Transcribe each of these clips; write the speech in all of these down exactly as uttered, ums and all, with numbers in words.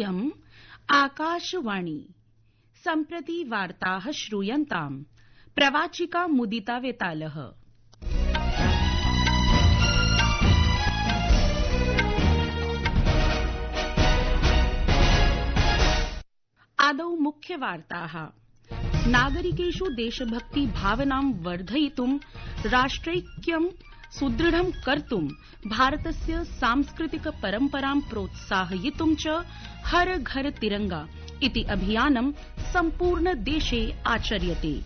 इयम् आकाशवाणी। सम्प्रति वार्ताः श्रूयन्ताम्। प्रवाचिका मुदिता वेतालः। आदौ मुख्यवार्ताः। नागरिकेषु देशभक्ति भावनां वर्धयितुं राष्ट्रैक्यं सुदृढं कर्तुं भारतस्य सांस्कृतिक परम्परां प्रोत्साहयितुं च हर घर तिरंगा इति अभियानं सम्पूर्ण देशे आचर्यते।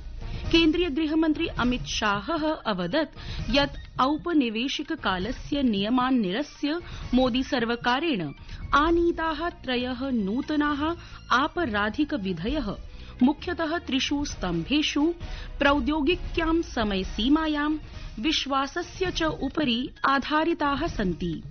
केन्द्रीय गृहमन्त्री अमित शाहः अवदत् यत् औपनिवेशिक कालस्य नियमान् निरस्य मोदी सर्वकारेण आनीताः त्रयः नूतनाः आपराधिक विधयः मुख्यतः त्रिषु स्तम्भेषु प्रौद्योगिक्यां समयसीमायां विश्वासस्य च उपरि आधारिताः सन्ति।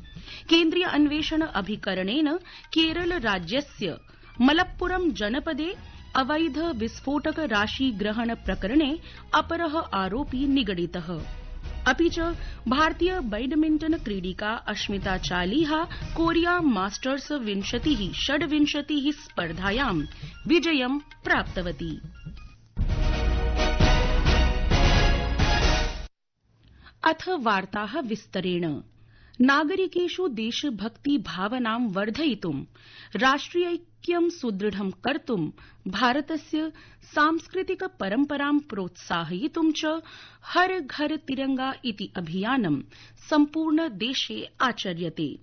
केन्द्रीय अन्वेषण अभिकरणेन केरल राज्यस्य मलप्पुरम जनपदे अवैध विस्फोटक राशि ग्रहण प्रकरणे अपरः आरोपी निगडितः। अपि च भारतीय बैडमिण्टन क्रीडिका अश्मिता चालीहा कोरिया मास्टर्स विंशतिः षड्विंशतिः स्पर्धायां विजयं प्राप्तवती। अथ वार्ताः विस्तरेण। नागरिकेषु देशभक्ति भावनां वर्धयितुं राष्ट्रियैक्यं सुदृढं कर्तुं भारतस्य सांस्कृतिक परम्परां प्रोत्साहयितुं च हर घर तिरंगा इति अभियानं सम्पूर्ण देशे आचर्यते।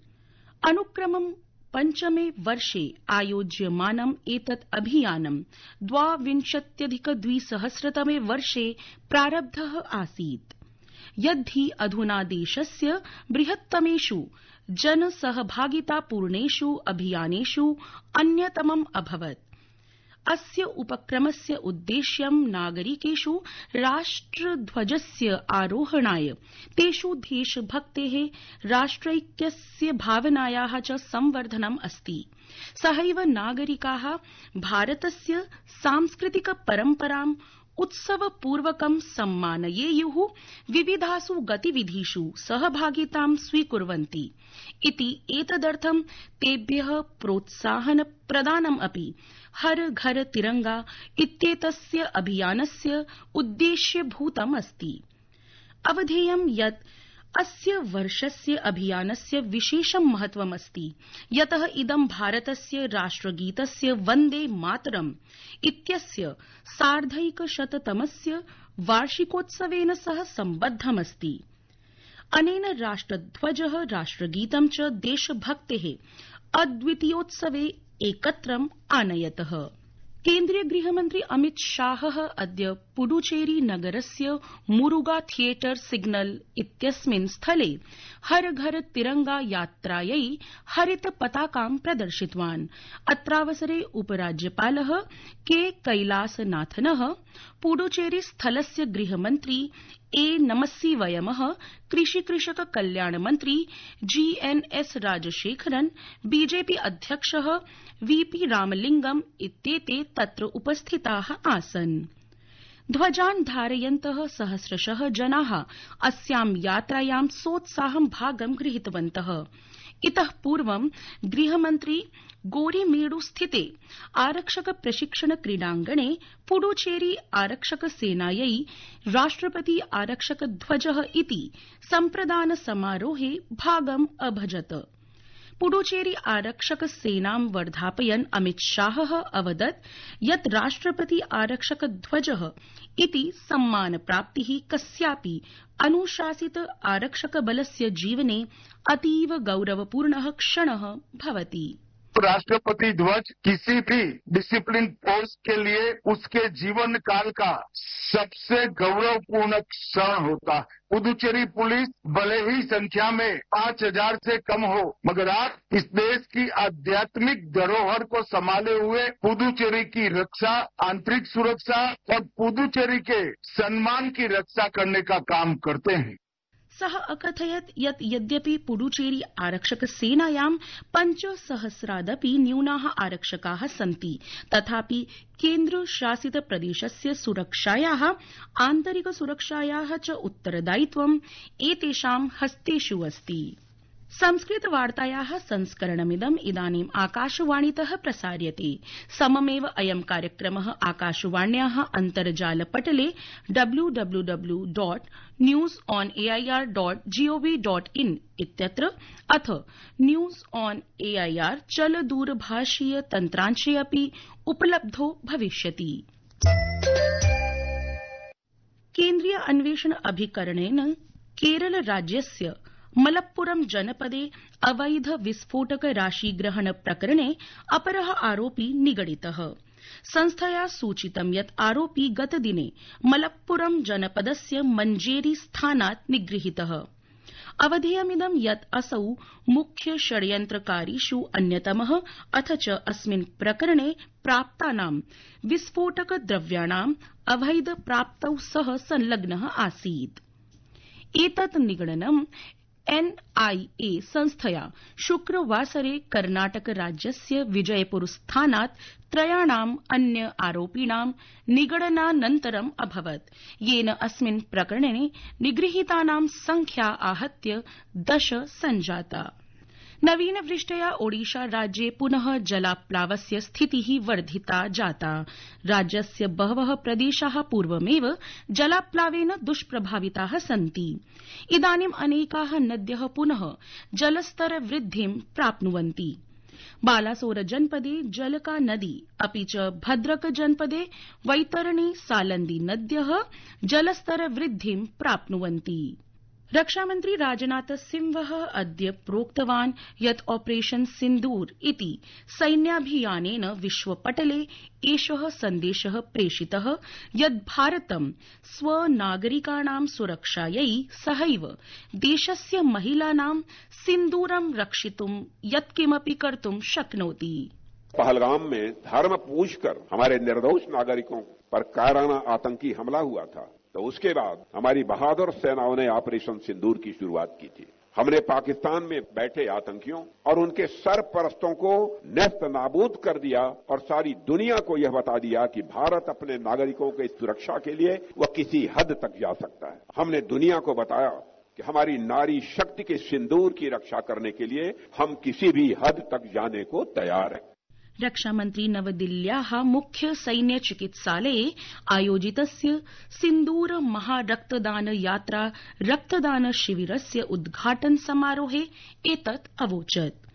अनुक्रमं पञ्चमे वर्षे आयोज्यमानं एतत् अभियानं द्वाविंशत्यधिक द्विसहस्रतमे वर्षे प्रारब्धः आसीत्। यद्धि अधुना देशस्य बृहत्तमेषु जनसहभागितापूर्णेषु अभियानेषु अन्यतमम् अभवत्। अस्य उपक्रमस्य उद्देश्यं नागरिकेषु राष्ट्रध्वजस्य आरोहणाय तेषु देशभक्तेः राष्ट्रैक्यस्य भावनायाः च संवर्धनम् अस्ति। सहैव नागरिकाः भारतस्य सांस्कृतिक परम्पराम् उत्सवपूर्वकं सम्मानयेयुः, विविधासु गतिविधिषु सहभागितां स्वीकुर्वन्ति इति एतदर्थं तेभ्यः प्रोत्साहन प्रदानम् अपि हर घर तिरंगा इत्येतस्य अभियानस्य उद्देश्यभूतम् अस्ति। अवधेयं यत् अस्य वर्षस्य अभियानस्य विशेषं महत्वमस्ति, यतः इदं भारतस्य राष्ट्रगीतस्य वन्दे मातरम् इत्यस्य सार्धैकशततमस्य वार्षिकोत्सवेन सह सम्बद्धमस्ति। अनेन राष्ट्रध्वजः राष्ट्रगीतं च देशभक्तेः अद्वितीयोत्सवे एकत्रम् आनयतः। केन्द्रीय गृहमन्त्री अमित शाहः अद्य पुडुचेरी नगरस्य मुरुगा थियेटर सिग्नल इत्यस्मिन् स्थले हर घर तिरंगा यात्रायै हरित पताकां प्रदर्शितवान्। अत्रावसरे उपराज्यपालः के कैलासनाथनः, पुडुचेरी स्थलस्य गृहमन्त्री ए नमस्सिवयमः, कृषि कृषक कल्याण मन्त्री जी एन एस राजशेखरन्, बीजेपी अध्यक्षः वीपी रामलिंगम इत्येते तत्र उपस्थिताः आसन्। ध्वजान् धारयन्तः सहस्रशः जनाः अस्यां यात्रायां सोत्साहं भागं गृहीतवन्तः। इतः पूर्वं गृहमन्त्री गोरीमेडु स्थिते आरक्षक प्रशिक्षण क्रीडांगणे पुडुचेरी आरक्षक सेनायै राष्ट्रपति आरक्षक ध्वजः इति सम्प्रदान समारोहे भागम् अभजत। पुडुचेरी आरक्षक सेनां वर्धापयन् अमित शाहः अवदत् यत् राष्ट्रपति आरक्षक ध्वजः इति सम्मानप्राप्तिः कस्यापि अनुशासित आरक्षक बलस्य जीवने अतीव गौरवपूर्णः क्षणः भवति। राष्ट्रपति ध्वज किसी भी डिसिप्लिन फोर्स के लिए उसके जीवन काल का सबसे गौरवपूर्ण क्षण होता है। पुदुचेरी पुलिस भले ही संख्या में पांच हजार से कम हो, मगर आप इस देश की आध्यात्मिक धरोहर को संभाले हुए पुदुचेरी की रक्षा, आंतरिक सुरक्षा और पुदुचेरी के सम्मान की रक्षा करने का काम करते हैं। सः अकथयत् यत् यद्यपि पुडुचेरी आरक्षक सेनायां पञ्चसहस्रादपि न्यूनाः आरक्षकाः सन्ति, तथापि केन्द्र शासित प्रदेशस्य सुरक्षायाः आन्तरिक सुरक्षायाः च उत्तरदायित्वम् एतेषां हस्तेषु अस्ति। संस्कृतवार्तायाः संस्करणमिदम् इदानीम् आकाशवाणीतः प्रसार्यते। सममेव अयं कार्यक्रमः आकाशवाण्याः अन्तर्जालपटले W W W dot news on A I R dot G O V dot in इत्यत्र अथ न्यूज ऑन एआईआर चलदूरभाषीय तन्त्रांशे अपि उपलब्धो भविष्यति। केन्द्रीय अन्वेषण अभिकरणेन केरल राज्यस्य मलप्पुरम जनपदे अवैध विस्फोटक राशिग्रहण प्रकरणे अपरः आरोपी निगडितः। संस्थया सूचितं यत् आरोपी गतदिने मलप्पुरम जनपदस्य मञ्जेरी स्थानात् निगृहीतः। अवधेयमिदं यत् असौ मुख्य षड्यन्त्रकारीषु अन्यतमः अथ च अस्मिन् प्रकरणे प्राप्तानां विस्फोटक द्रव्याणाम् अवैध प्राप्तौ सह संलग्नः आसीत्। एतत् निगडनम् एनआईए संस्थया शुक्रवासरे कर्णाटक राज्यस्य विजयपुर स्थानात् त्रयाणाम् अन्य आरोपिणां निगडनानन्तरम् अभवत्, येन अस्मिन् प्रकरणे निगृहीतानां संख्या आहत्य दश संजाता। नवीनवृष्ट्या ओडिशा राज्ये पुनः जलाप्लावस्य स्थितिः वर्धिता जाता। राज्यस्य बहवः प्रदेशाः पूर्वमेव जलाप्लावेन दुष्प्रभाविताः सन्ति। इदानीम् अनेकाः नद्यः पुनः जलस्तर वृद्धिं प्राप्नुवन्ति। बालासोर जनपदे जलका नदी अपि च भद्रक जनपदे वैतरणी सालन्दी नद्यः जलस्तर वृद्धिं प्राप्नुवन्ति। रक्षामन्त्री राजनाथ सिंहः अद्य प्रोक्तवान् यत् ऑपरेशन सिन्दूर इति सैन्याभियानेन विश्वपटले एषः सन्देशः प्रेषितः यत् भारतं स्वनागरिकाणां सुरक्षायै सहैव देशस्य महिलानां सिन्दूरं रक्षितुं यत्किमपि कर्तुं शक्नोति। पहलगाम में धर्म पूछकर हमारे निर्दोष नागरिकों पर कायराना आतंकी हमला हुआ था, तो उसके बाद हमारी बहादुर सेनाओं ने ऑपरेशन सिंदूर की शुरुआत की थी। हमने पाकिस्तान में बैठे आतंकियों और उनके सरपरस्तों को नेस्त नाबूद कर दिया और सारी दुनिया को यह बता दिया कि भारत अपने नागरिकों की सुरक्षा के लिए वह किसी हद तक जा सकता है। हमने दुनिया को बताया कि हमारी नारी शक्ति के सिंदूर की रक्षा करने के लिए हम किसी भी हद तक जाने को तैयार हैं। रक्षामन्त्री नवदिल्ल्याः मुख्य सैन्य चिकित्सालये आयोजितस्य सिन्दूर महारक्तदान यात्रा रक्तदान शिविरस्य उद्घाटन समारोहे एतत् अवोचत्।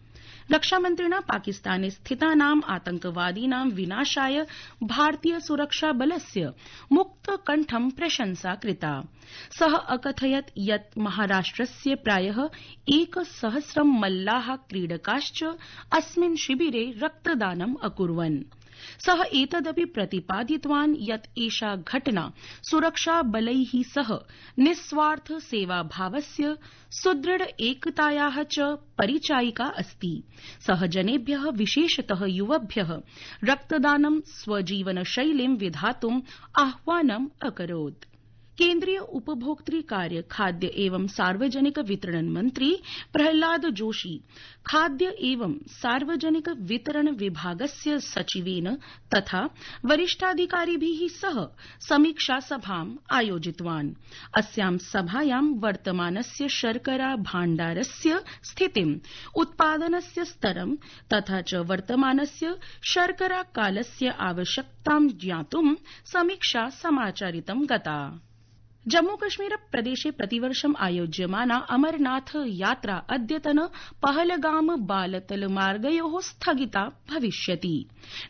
रक्षामन्त्रिणा पाकिस्ताने स्थितानाम् आतंकवादीनां विनाशाय भारतीय सुरक्षा बलस्य मुक्तकण्ठं प्रशंसा कृता। सः अकथयत् यत् महाराष्ट्रस्य प्रायः एकसहस्रं मल्लाः क्रीडकाश्च अस्मिन् शिविरे रक्तदानम् अकुर्वन्। सः एतदपि प्रतिपादितवान् यत् एषा घटना सुरक्षाबलैः सह निस्वार्थ सेवाभावस्य सुदृढ एकतायाः च परिचायिका अस्ति। सः जनेभ्यः विशेषतः युवभ्यः रक्तदानं स्वजीवनशैलीं विधातुम् आह्वानम् अकरोत्। केन्द्रीय उपभोक्तृ कार्य खाद्य एवं सार्वजनिक वितरण मंत्री प्रहलाद जोशी खाद्य एवं सार्वजनिक वितरण विभागस्य सचिवेन तथा वरिष्ठाधिकारिभिः सह समीक्षा सभाम् आयोजितवान्। अस्यां सभायां वर्तमानस्य शर्करा भाण्डारस्य स्थितिम्, उत्पादनस्य स्तरं तथा च वर्तमानस्य शर्करा कालस्य आवश्यकतां ज्ञातुं समीक्षा समाचरितं गता। जम्मूकश्मीर प्रदेशे प्रतिवर्षम् आयोज्यमाना अमरनाथ यात्रा अद्यतन पहलगाम बालतल मार्गयोः स्थगिता भविष्यति।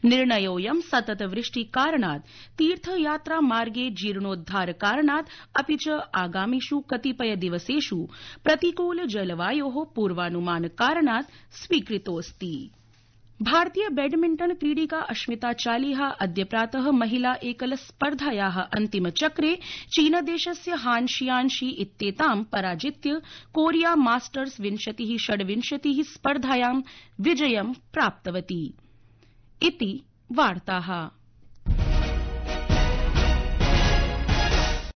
निर्णयोऽयं सततवृष्टिकारणात् तीर्थयात्रा मार्गे जीर्णोद्धार कारणात् अपि च आगामिषु कतिपय दिवसेषु प्रतिकूल जलवायोः पूर्वानुमान कारणात् स्वीकृतोऽस्ति। भारतीय बैडमिंटन क्रीडिका अश्मिता चालिहा अद्य प्रातः महिला एकल स्पर्धायाः अन्तिमचक्रे चीनदेशस्य हान शियान्शी इत्येतां पराजित्य कोरिया मास्टर्स विंशतिः षड्विंशतिः स्पर्धायां विजयं प्राप्तवती। इति वार्ताः।